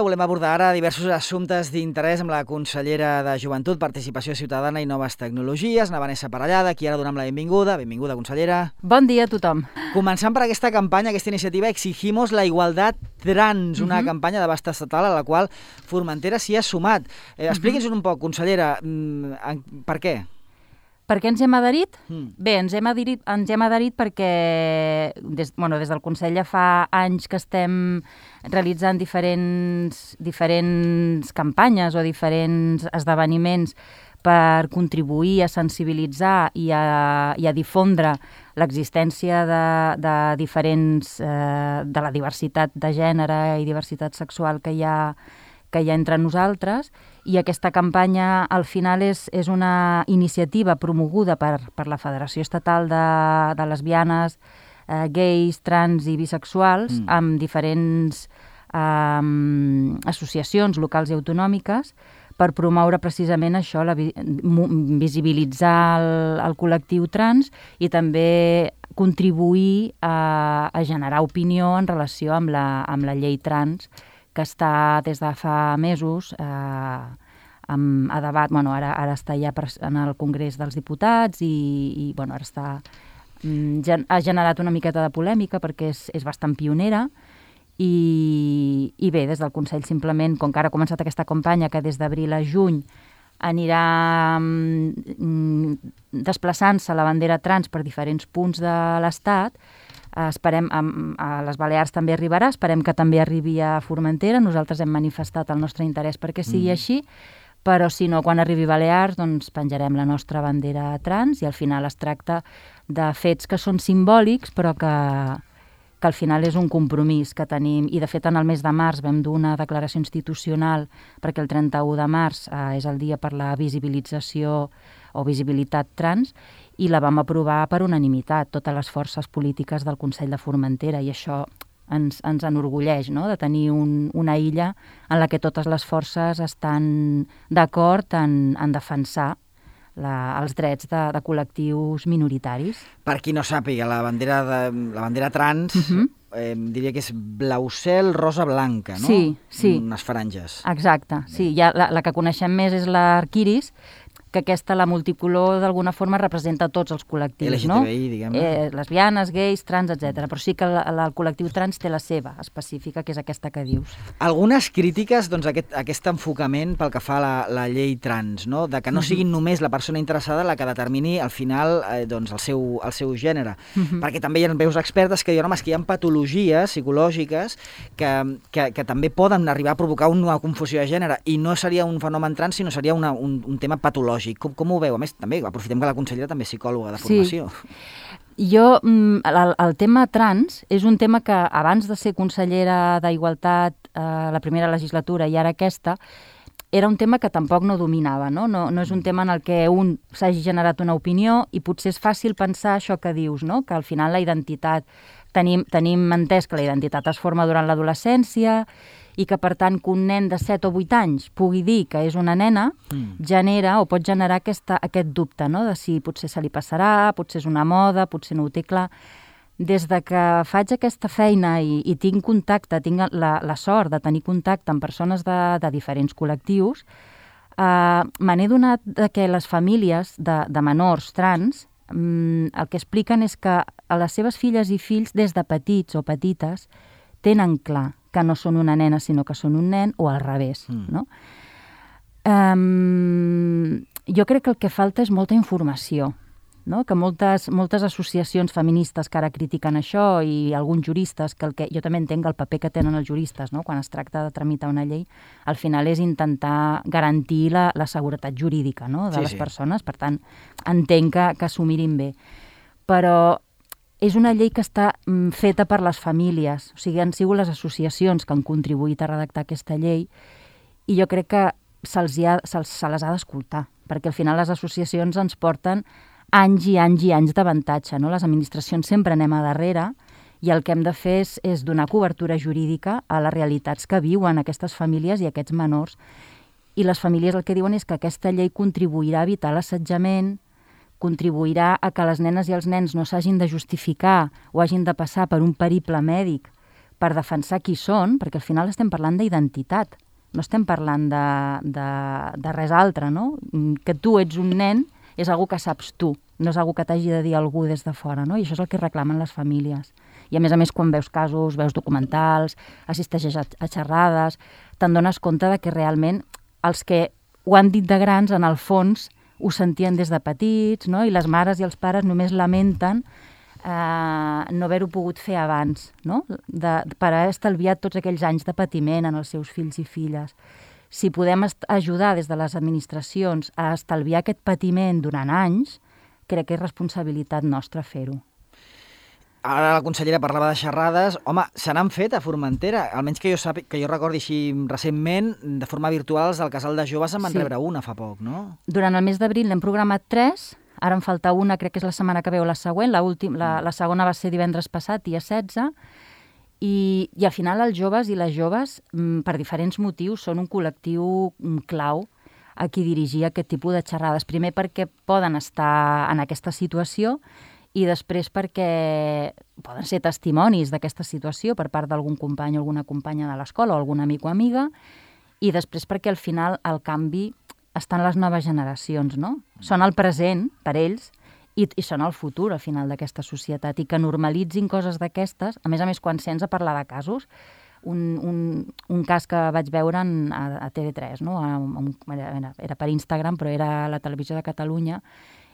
volem abordar ara diversos assumptes d'interès amb la consellera de Joventut, Participació Ciutadana i Noves Tecnologies, na Vanessa Parellada, qui ara donem la benvinguda. Benvinguda, consellera. Bon dia a tothom. Començant per aquesta campanya, aquesta iniciativa Exigimos la Igualdad Trans, una campanya d'abast estatal a la qual Formentera s'hi ha sumat. Expliqui'ns un poc, consellera, per què? Per què ens hem adherit? Bé, ens hem adherit perquè des del Consell ja fa anys que estem realitzant diferents campanyes o diferents esdeveniments per contribuir a sensibilitzar i a difondre l'existència de la diversitat de gènere i diversitat sexual que hi ha entre nosaltres, i aquesta campanya al final és una iniciativa promoguda per la Federació Estatal de Lesbianes, Gais, Trans i Bisexuals, amb diferents associacions locals i autonòmiques, per promoure precisament això, visibilitzar el col·lectiu trans i també contribuir a generar opinió en relació amb la llei trans, que està des de fa mesos a debat. Ara està ja en el Congrés dels Diputats i ara ha generat una miqueta de polèmica perquè és bastant pionera. I bé, des del Consell simplement, com que ara ha començat aquesta campanya que des d'abril a juny anirà desplaçant-se la bandera trans per diferents punts de l'Estat, esperem, a les Balears també arribarà, esperem que també arribi a Formentera. Nosaltres hem manifestat el nostre interès perquè sigui així, però si no, quan arribi a Balears, doncs penjarem la nostra bandera trans i al final es tracta de fets que són simbòlics, però que al final és un compromís que tenim. I de fet en el mes de març vam dur una declaració institucional perquè el 31 de març és el dia per la visibilització o visibilitat trans, i la vam aprovar per unanimitat, totes les forces polítiques del Consell de Formentera, i això ens enorgulleix, no?, de tenir una illa en la que totes les forces estan d'acord en defensar els drets de col·lectius minoritaris. Per qui no sàpiga, la bandera trans diria que és blau cel, rosa, blanca, no? Sí. Unes franges. Exacte, sí. Ja la que coneixem més és l'arquiris, que aquesta, la multicolor, d'alguna forma representa tots els col·lectius, no? LGTBI, diguem-ne. Lesbianes, gais, trans, etc. Però sí que el col·lectiu trans té la seva específica, que és aquesta que dius. Algunes crítiques, doncs, a aquest enfocament pel que fa a la llei trans, no? De que no sigui només la persona interessada la que determini al final doncs, el seu gènere. Perquè també hi ha veus expertes que diuen, home, és que hi ha patologies psicològiques que també poden arribar a provocar una confusió de gènere, i no seria un fenomen trans, sinó seria un tema patològic. Com ho veu? A més, també aprofitem que la consellera també és psicòloga de formació. Sí. El tema trans és un tema que abans de ser consellera d'Igualtat la primera legislatura i ara aquesta, era un tema que tampoc no dominava, no? No és un tema en el que un s'hagi generat una opinió, i potser és fàcil pensar això que dius, no?, que al final la identitat, tenim entès que la identitat es forma durant l'adolescència, i que, per tant, que un nen de 7 o 8 anys pugui dir que és una nena, genera o pot generar aquest dubte, no?, de si potser se li passarà, potser és una moda, potser no ho té clar. Des de que faig aquesta feina i tinc contacte, tinc la sort de tenir contacte amb persones de diferents col·lectius, me n'he donat que les famílies de menors trans el que expliquen és que a les seves filles i fills, des de petits o petites, tenen clar que no són una nena, sinó que són un nen, o al revés, no? Jo crec que el que falta és molta informació, no? Que moltes associacions feministes que ara critiquen això, i alguns juristes, que jo també entenc el paper que tenen els juristes, no?, quan es tracta de tramitar una llei, al final és intentar garantir la seguretat jurídica, no?, de les persones. Per tant, entenc que s'ho mirin bé. Però és una llei que està feta per les famílies, o sigui, han sigut les associacions que han contribuït a redactar aquesta llei, i jo crec que se les ha d'escoltar, perquè al final les associacions ens porten anys i anys i anys d'avantatge, no? Les administracions sempre anem a darrere, i el que hem de fer és donar cobertura jurídica a les realitats que viuen aquestes famílies i aquests menors. I les famílies el que diuen és que aquesta llei contribuirà a evitar l'assetjament, contribuirà a que les nenes i els nens no s'hagin de justificar o hagin de passar per un periple mèdic per defensar qui són, perquè al final estem parlant d'identitat, no estem parlant de res altre, no? Que tu ets un nen és algo que saps tu, no és algo que t'hagi de dir algú des de fora, no? I això és el que reclamen les famílies. I a més, quan veus casos, veus documentals, assisteixes a xerrades, te'n dones compte de que realment els que ho han dit de grans, en el fons, ho sentien des de petits, no? I les mares i els pares només lamenten no haver-ho pogut fer abans, no? Per haver estalviat tots aquells anys de patiment en els seus fills i filles. Si podem ajudar des de les administracions a estalviar aquest patiment durant anys, crec que és responsabilitat nostra fer-ho. Ara la consellera parlava de xerrades. Home, se n'han fet a Formentera, almenys que jo recordi així recentment, de forma virtual, del Casal de Joves en van rebre una fa poc, no? Durant el mes d'abril n'hem programat 3, ara en falta una, crec que és la setmana que ve o la següent, la segona va ser divendres passat, dia 16, i al final els joves i les joves, per diferents motius, són un col·lectiu clau a qui dirigir aquest tipus de xerrades. Primer perquè poden estar en aquesta situació i després perquè poden ser testimonis d'aquesta situació per part d'algun company o alguna companya de l'escola o algun amic o amiga, i després perquè al final el canvi està en les noves generacions, no? Són el present per ells i són el futur al final d'aquesta societat, i que normalitzin coses d'aquestes. A més, quan sents a parlar de casos, un cas que vaig veure a TV3, no? Era per Instagram, però era a la televisió de Catalunya,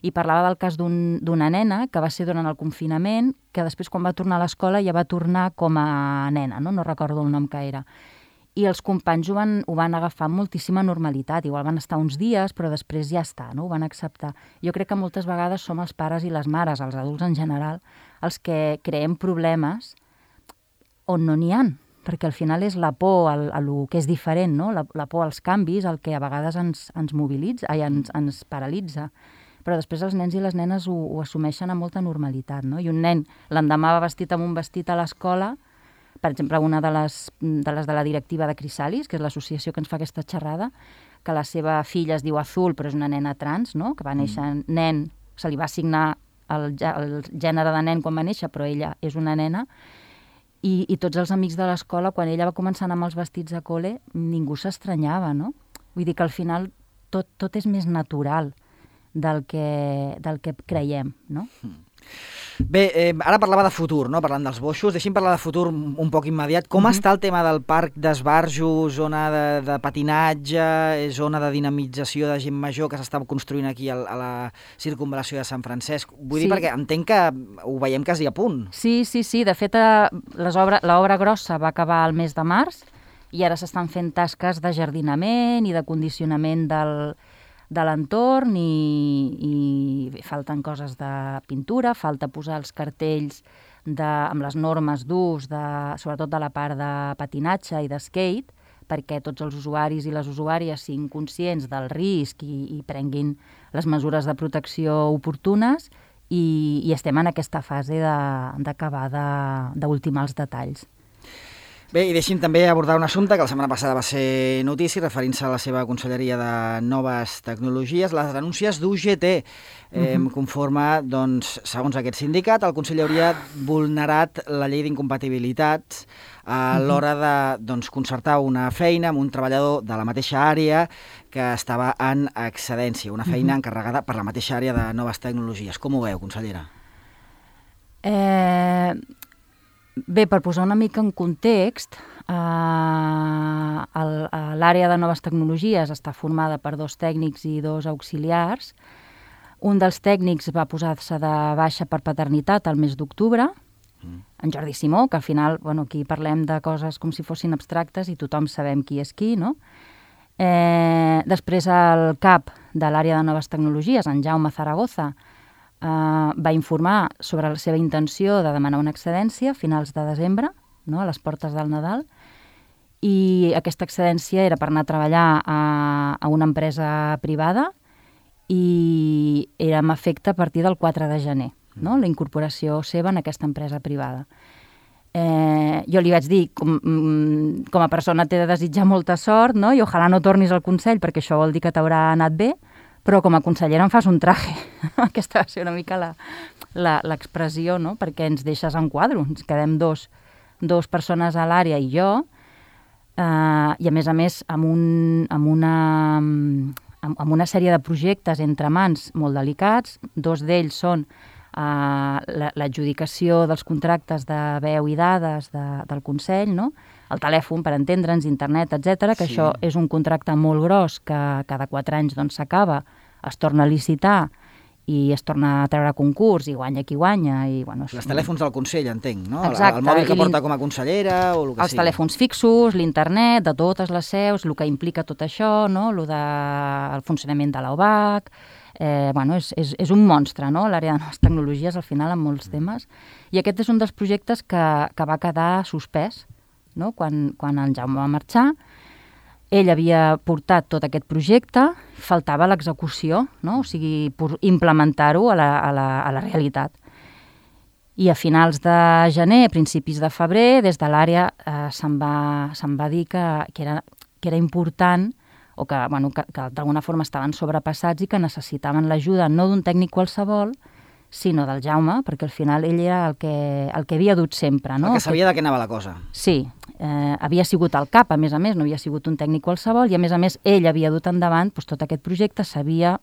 i parlava del cas d'una nena que va ser durant el confinament, que després quan va tornar a l'escola ja va tornar com a nena, no recordo el nom que era. I els companys ho van agafar amb moltíssima normalitat. Igual van estar uns dies, però després ja està, no? Ho van acceptar. Jo crec que moltes vegades som els pares i les mares, els adults en general, els que creem problemes on no n'hi ha, perquè al final és la por a lo que és diferent, no? La por als canvis, el que a vegades ens mobilitza, ens paralitza. Però després els nens i les nenes ho assumeixen amb molta normalitat, no? I un nen l'endemà va vestit amb un vestit a l'escola, per exemple, una de les de la directiva de Crisalis, que és l'associació que ens fa aquesta xerrada, que la seva filla es diu Azul, però és una nena trans, no? Que va néixer nen, se li va assignar el gènere de nen quan va néixer, però ella és una nena, i tots els amics de l'escola, quan ella va començar a anar amb els vestits a col·le, ningú s'estranyava, no? Vull dir que al final tot és més natural del que creiem, no? Bé, ara parlava de futur, no? Parlant dels boixos. Deixi'm parlar de futur un poc immediat. Com està el tema del parc d'esbarjo, zona de patinatge, zona de dinamització de gent major que s'està construint aquí a la circunvalació de Sant Francesc? Vull dir, perquè entenc que ho veiem quasi a punt. Sí. De fet, l'obra grossa va acabar el mes de març i ara s'estan fent tasques de jardinament i de condicionament de l'entorn, i falten coses de pintura, falta posar els cartells amb les normes d'ús, sobretot de la part de patinatge i de skate, perquè tots els usuaris i les usuàries siguin conscients del risc i prenguin les mesures de protecció oportunes, i estem en aquesta fase d'acabar d'ultimar els detalls. Bé, i deixi'm també abordar un assumpte que la setmana passada va ser notícia, referint-se a la seva conselleria de Noves Tecnologies, les denúncies d'UGT. Conforme, doncs, segons aquest sindicat, el Consell hauria vulnerat la llei d'incompatibilitats a l'hora de concertar una feina amb un treballador de la mateixa àrea que estava en excedència, una feina encarregada per la mateixa àrea de Noves Tecnologies. Com ho veu, consellera? Bé, per posar una mica en context, l'àrea de Noves Tecnologies està formada per 2 tècnics i 2 auxiliars. Un dels tècnics va posar-se de baixa per paternitat al mes d'octubre, en Jordi Simó, que al final, aquí parlem de coses com si fossin abstractes i tothom sabem qui és qui, no? Després el cap de l'àrea de Noves Tecnologies, en Jaume Zaragoza, va informar sobre la seva intenció de demanar una excedència a finals de desembre, no? A les portes del Nadal, i aquesta excedència era per anar a treballar a una empresa privada i era amb efecte a partir del 4 de gener, no? La incorporació seva en aquesta empresa privada. Jo li vaig dir, com a persona t'he de desitjar molta sort, no? I ojalà no tornis al Consell, perquè això vol dir que t'haurà anat bé, però com a consellera em fas un traje. Aquesta va ser una mica l'expressió, no? Perquè ens deixes en quadro, ens quedem dos 2 persones a l'àrea i jo, i a més amb una sèrie de projectes entre mans molt delicats. 2 d'ells són l'adjudicació dels contractes de veu i dades del Consell, no? El telèfon, per entendre'ns, internet, etc, que això és un contracte molt gros que cada 4 anys s'acaba, es torna a licitar i es torna a treure a concurs i guanya qui guanya. Els telèfons del Consell, entenc, no? Exacte. El mòbil que porta com a consellera o el que sigui. Els telèfons fixos, l'internet, de totes les seus, el que implica tot això, no? El funcionament de l'OBAC. És un monstre, no? L'àrea de noves tecnologies, al final, amb molts temes. I aquest és un dels projectes que va quedar suspès, no? Quan el Jaume va marxar. Ell havia portat tot aquest projecte, faltava l'execució, no? O sigui, implementar-ho a la realitat. I a finals de gener, principis de febrer, des de l'àrea se'n va dir que era important o que d'alguna forma estaven sobrepassats i que necessitaven l'ajuda no d'un tècnic qualsevol, sinó del Jaume, perquè al final ell era el que havia dut sempre, no? El que sabia de què anava la cosa. Sí, havia sigut el cap, a més, no havia sigut un tècnic qualsevol, i a més ell havia dut endavant tot aquest projecte, sabia...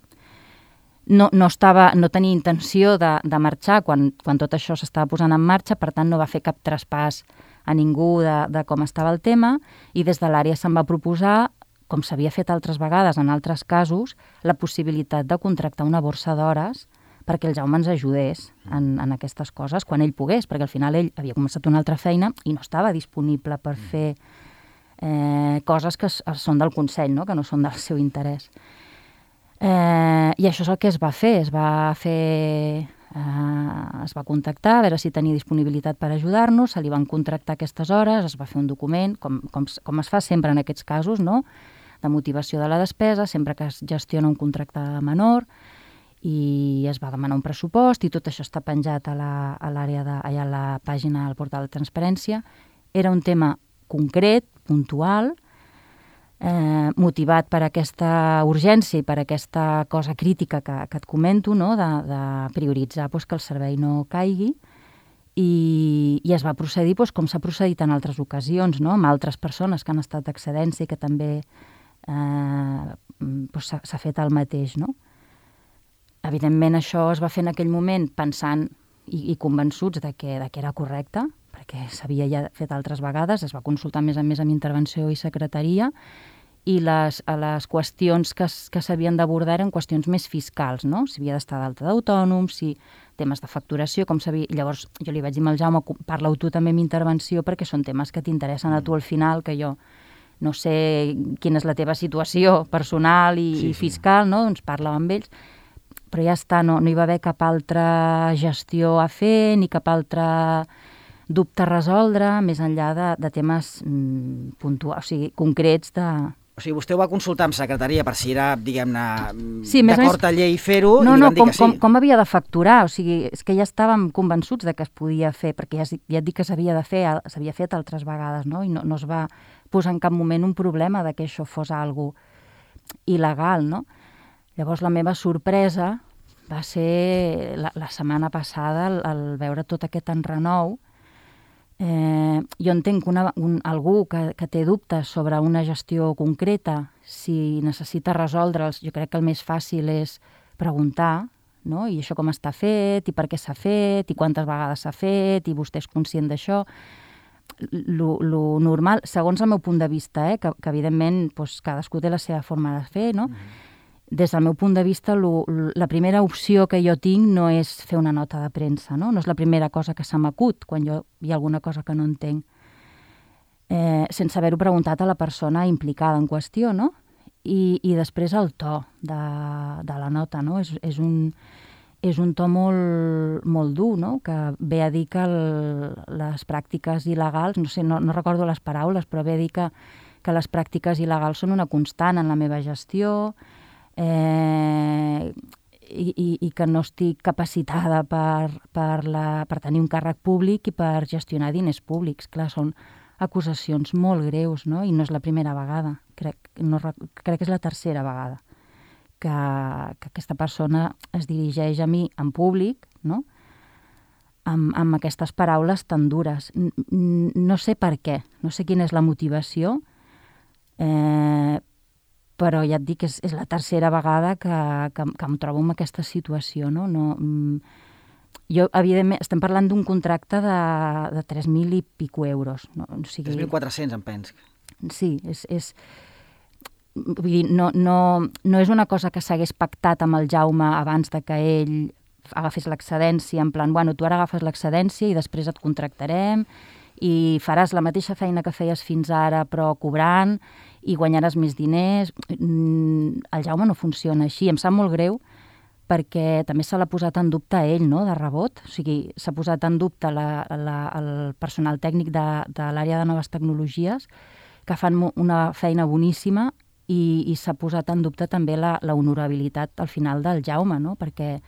No tenia intenció de marxar quan tot això s'estava posant en marxa, per tant no va fer cap traspàs a ningú de com estava el tema, i des de l'àrea se'n va proposar, com s'havia fet altres vegades en altres casos, la possibilitat de contractar una borsa d'hores perquè el Jaume ens ajudés en aquestes coses quan ell pogués, perquè al final ell havia començat una altra feina i no estava disponible per fer coses que són del Consell, no? Que no són del seu interès. I això és el que es va fer. Es va contactar, a veure si tenia disponibilitat per ajudar-nos, se li van contractar aquestes hores, es va fer un document, com es fa sempre en aquests casos, no? De motivació de la despesa, sempre que es gestiona un contracte menor, i es va demanar un pressupost, i tot això està penjat a la pàgina del portal de transparència. Era un tema concret, puntual, motivat per aquesta urgència i per aquesta cosa crítica que et comento, no? De prioritzar que el servei no caigui, i es va procedir com s'ha procedit en altres ocasions, no? Amb altres persones que han estat d'excedència i que també s'ha fet el mateix, no? Evidentment, això es va fer en aquell moment pensant i convençuts de que era correcte, perquè s'havia ja fet altres vegades, es va consultar a més amb intervenció i secretaria, i les qüestions que s'havien d'abordar eren qüestions més fiscals, no? Si havia d'estar d'alta d'autònoms, si temes de facturació, com s'havia... Llavors jo li vaig dir al Jaume, parla-ho tu també amb intervenció, perquè són temes que t'interessen a tu al final, que jo no sé quina és la teva situació personal i fiscal, no? Doncs parla amb ells. Però ja està, no hi va haver cap altra gestió a fer, ni cap altre dubte a resoldre, més enllà de temes puntuals, o sigui, concrets de... O sigui, vostè ho va consultar amb secretaria per si era, diguem-ne, d'acord a llei fer-ho, i li van dir que sí. Com havia de facturar, o sigui, és que ja estàvem convençuts de que es podia fer, perquè ja et dic que s'havia fet altres vegades, no? I no es va posar en cap moment un problema de que això fos algo il·legal, no? Llavors la meva sorpresa va ser la setmana passada el veure tot aquest enrenou. Jo entenc que algú que té dubtes sobre una gestió concreta, si necessita resoldre'ls, jo crec que el més fàcil és preguntar, no? I això com està fet, i per què s'ha fet, i quantes vegades s'ha fet, i vostè és conscient d'això. Lo normal, segons el meu punt de vista, que evidentment cadascú té la seva forma de fer, no? Des del meu punt de vista, la primera opció que jo tinc no és fer una nota de premsa, no? No és la primera cosa que se m'acut quan hi ha alguna cosa que no entenc, sense haver-ho preguntat a la persona implicada en qüestió, no? I després el to de la nota, no? És un to molt, molt dur, no? Que ve a dir que les pràctiques il·legals, no sé, no recordo les paraules, però ve a dir que les pràctiques il·legals són una constant en la meva gestió, i que no estic capacitada per tenir un càrrec públic i per gestionar diners públics. Clar, són acusacions molt greus, no? I no és la primera vegada, crec que és la tercera vegada que aquesta persona es dirigeix a mi en públic, no? amb aquestes paraules tan dures. No sé per què, no sé quina és la motivació, però ja et dic, és la tercera vegada que em trobo en aquesta situació, no? Jo, evidentment, estem parlant d'un contracte de 3.000 i pico euros. No? O sigui, 3.400, em penso. Sí, vull dir, no és una cosa que s'hagués pactat amb el Jaume abans de que ell agafés l'excedència, en plan, bueno, tu ara agafes l'excedència i després et contractarem i faràs la mateixa feina que feies fins ara però cobrant i guanyaràs més diners. El Jaume no funciona així. Em sap molt greu perquè també se l'ha posat en dubte a ell, no?, de rebot. O sigui, s'ha posat en dubte el personal tècnic de l'àrea de noves tecnologies, que fan una feina boníssima, i s'ha posat en dubte també la honorabilitat al final del Jaume, no?, perquè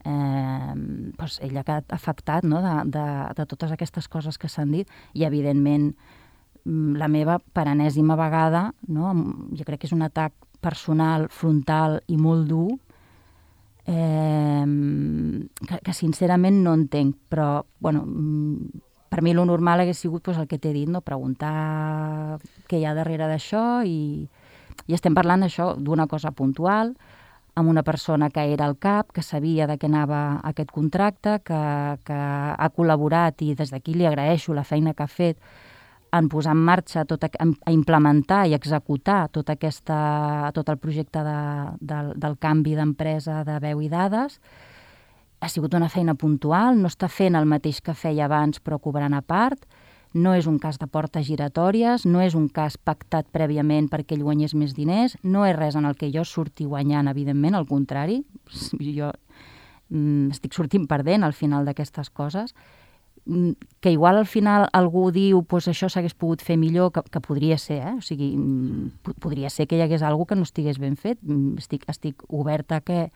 ell ha quedat afectat, no?, de totes aquestes coses que s'han dit, i evidentment la meva per enèsima vegada, no?, jo crec que és un atac personal, frontal i molt dur, que sincerament no entenc, però bueno, per mi lo normal hagués sigut el que t'he dit, no? Preguntar què hi ha darrere d'això, i estem parlant això d'una cosa puntual, amb una persona que era al cap, que sabia de què anava aquest contracte, que ha col·laborat, i des d'aquí li agraeixo la feina que ha fet en posar en marxa, a implementar i executar tot el projecte del canvi d'empresa de veu i dades. Ha sigut una feina puntual, no està fent el mateix que feia abans però cobrant a part, no és un cas de portes giratòries, no és un cas pactat prèviament perquè ell guanyés més diners, no és res en el que jo surti guanyant, evidentment, al contrari, jo estic sortint perdent al final d'aquestes coses, que igual al final algú diu això s'hagués pogut fer millor, que podria ser, o sigui, podria ser que hi hagués alguna que no estigués ben fet. Estic oberta a que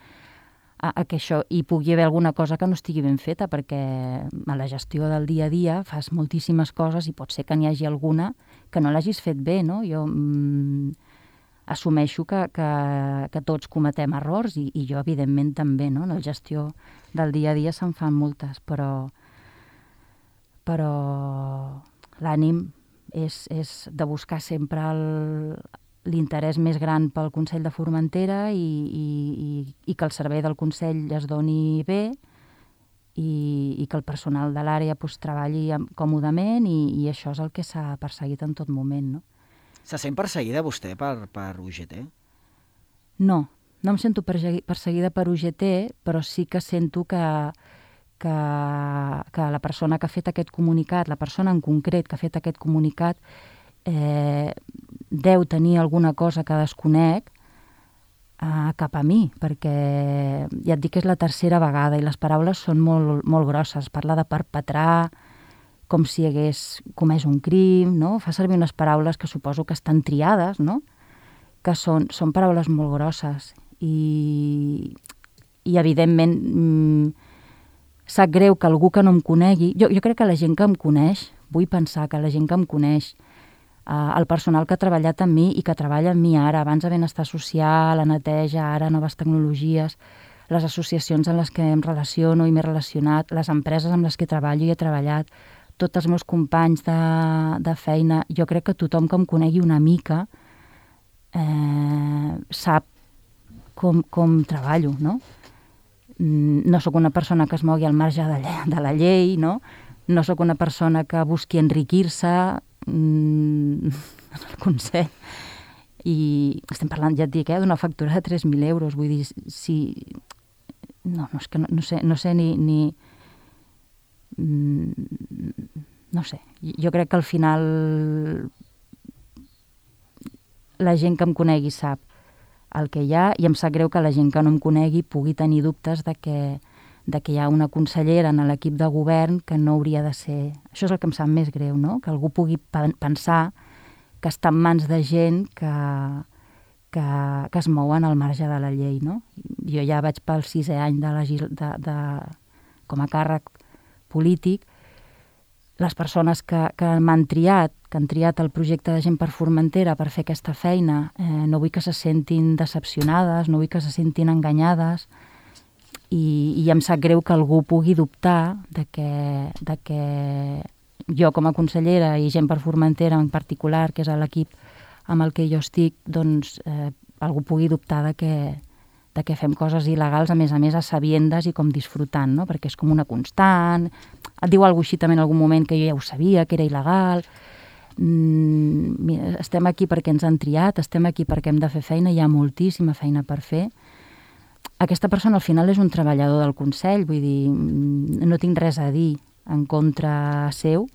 això hi pugui haver alguna cosa que no estigui ben feta, perquè a la gestió del dia a dia fas moltíssimes coses i pot ser que n'hi hagi alguna que no l'hagis fet bé, no? Jo assumeixo que tots cometem errors, i jo evidentment també, no? En la gestió del dia a dia se'n fan moltes, però l'ànim és de buscar sempre l'interès més gran pel Consell de Formentera, i que el servei del Consell es doni bé, i que el personal de l'àrea treballi còmodament, i això és el que s'ha perseguit en tot moment, no? Se sent perseguida vostè per UGT? No em sento perseguida per UGT, però sí que sento que la persona que ha fet aquest comunicat, la persona en concret que ha fet aquest comunicat, deu tenir alguna cosa que desconec cap a mi, perquè ja et dic que és la tercera vegada i les paraules són molt, molt grosses. Parla de perpetrar, com si hagués comès un crim, no? Fa servir unes paraules que suposo que estan triades, no? Que són paraules molt grosses, i evidentment sap greu que algú que no em conegui, jo crec que la gent que em coneix, vull pensar que la gent que em coneix, el personal que ha treballat amb mi i que treballa amb mi ara, abans a Benestar Social, a Neteja, ara a Noves Tecnologies, les associacions en les que em relaciono i m'he relacionat, les empreses amb les que treballo i he treballat, tots els meus companys de feina, jo crec que tothom que em conegui una mica sap com treballo, no? No sóc una persona que es mogui al marge de la llei, no? No sóc una persona que busqui enriquir-se en el Consell. I estem parlant, ja et dic, d'una factura de 3.000 euros. Vull dir, si... No, és que no sé ni... No sé. Jo crec que al final la gent que em conegui sap el que hi ha, i em sap greu que la gent que no em conegui pugui tenir dubtes de que hi ha una consellera en l'equip de govern que no hauria de ser... Això és el que em sap més greu, no? Que algú pugui pensar que està en mans de gent que es mouen al marge de la llei, no? Jo ja vaig pel 6è any com a càrrec polític. Les persones que m'han triat, que han triat el projecte de Gent per Formentera per fer aquesta feina, no vull que se sentin decepcionades, no vull que se sentin enganyades. i em sap greu que algú pugui dubtar de que jo com a consellera i gent per Formentera en particular, que és l'equip amb el que jo estic, doncs algú pugui dubtar de que fem coses il·legals, a més a sabiendes i com disfrutant, no? Perquè és com una constant. Et diu alguna cosa així també en algun moment que jo ja ho sabia, que era il·legal. Estem aquí perquè ens han triat, estem aquí perquè hem de fer feina, hi ha moltíssima feina per fer. Aquesta persona al final és un treballador del Consell, vull dir, no tinc res a dir en contra seu,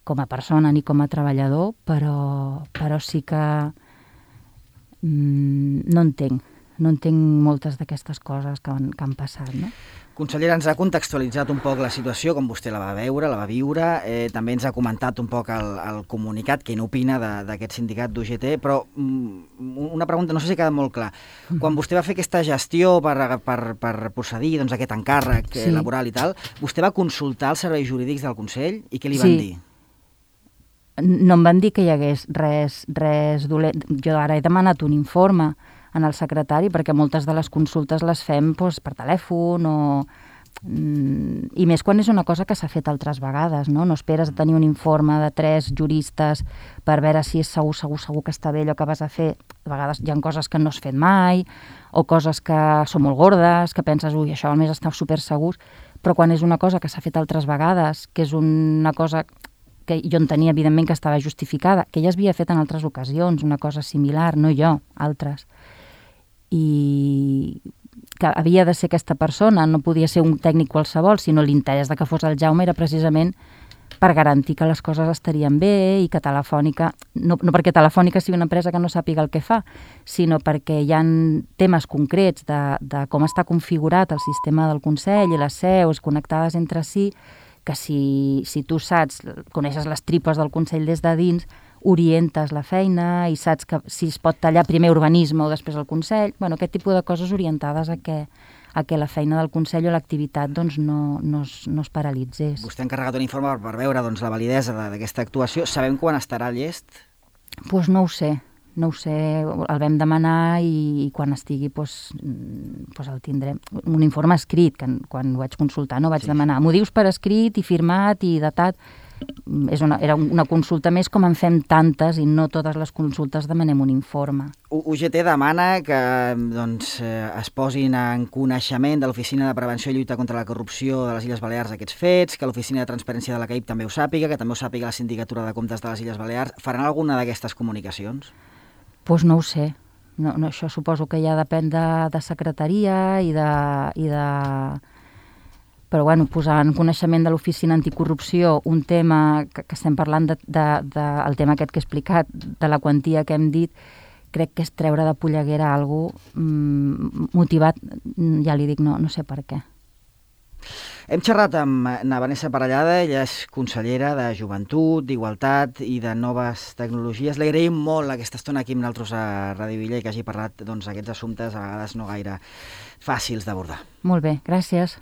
com a persona ni com a treballador, però sí que no entenc moltes d'aquestes coses que han passat, no? Consellera, ens ha contextualitzat un poc la situació, com vostè la va veure, la va viure, també ens ha comentat un poc el comunicat, què n'opina d'aquest sindicat d'UGT, però una pregunta, no sé si ha quedat molt clar. Quan vostè va fer aquesta gestió per procedir aquest encàrrec laboral i tal, vostè va consultar els serveis jurídics del Consell i què li van dir? No em van dir que hi hagués res dolent. Jo ara he demanat un informe en el secretari perquè moltes de les consultes les fem per telèfon i més quan és una cosa que s'ha fet altres vegades, no? No esperes a tenir un informe de 3 juristes per veure si és segur que està bé allò que vas a fer. A vegades hi ha coses que no has fet mai o coses que són molt gordes, que penses, ui, això almenys està super segurs, però quan és una cosa que s'ha fet altres vegades, que és una cosa que jo entenia, evidentment, que estava justificada, que ja s'havia fet en altres ocasions, una cosa similar, no jo, altres. I que havia de ser aquesta persona, no podia ser un tècnic qualsevol, sinó l'interès de que fos el Jaume era precisament per garantir que les coses estarien bé i que Telefònica, no perquè Telefònica sigui una empresa que no sàpiga el que fa, sinó perquè hi ha temes concrets de com està configurat el sistema del Consell i les seus connectades entre si, que si tu saps, coneixes les tripes del Consell des de dins, orientes la feina i saps que si es pot tallar primer urbanisme o després el Consell, aquest tipus de coses orientades a que la feina del Consell o l'activitat no es paralitzés. Vostè ha encarregat un informe per veure la validesa d'aquesta actuació. Sabem quan estarà llest? Doncs no ho sé, el vam demanar i quan estigui el tindrem. Un informe escrit, que quan ho vaig consultar no vaig demanar. M'ho dius per escrit i firmat i datat. Era una consulta més com en fem tantes i no totes les consultes demanem un informe. UGT demana que es posin en coneixement de l'Oficina de Prevenció i Lluita contra la Corrupció de les Illes Balears aquests fets, que l'Oficina de Transparència de la CAIP també ho sàpiga, que també ho sàpiga la Sindicatura de Comptes de les Illes Balears. Faran alguna d'aquestes comunicacions? Doncs no ho sé. No, això suposo que ja depèn de secretaria i de... Però posar en coneixement de l'Oficina Anticorrupció un tema que estem parlant del tema aquest que he explicat, de la quantia que hem dit, crec que és treure de polleguera algú motivat, ja li dic, no sé per què. Hem xerrat amb na Vanessa Parellada, ella és consellera de Joventut, d'Igualtat i de Noves Tecnologies. Li agraïm molt aquesta estona aquí amb nosaltres a Ràdio Villa i que hagi parlat d'aquests assumptes a vegades no gaire fàcils d'abordar. Molt bé, gràcies.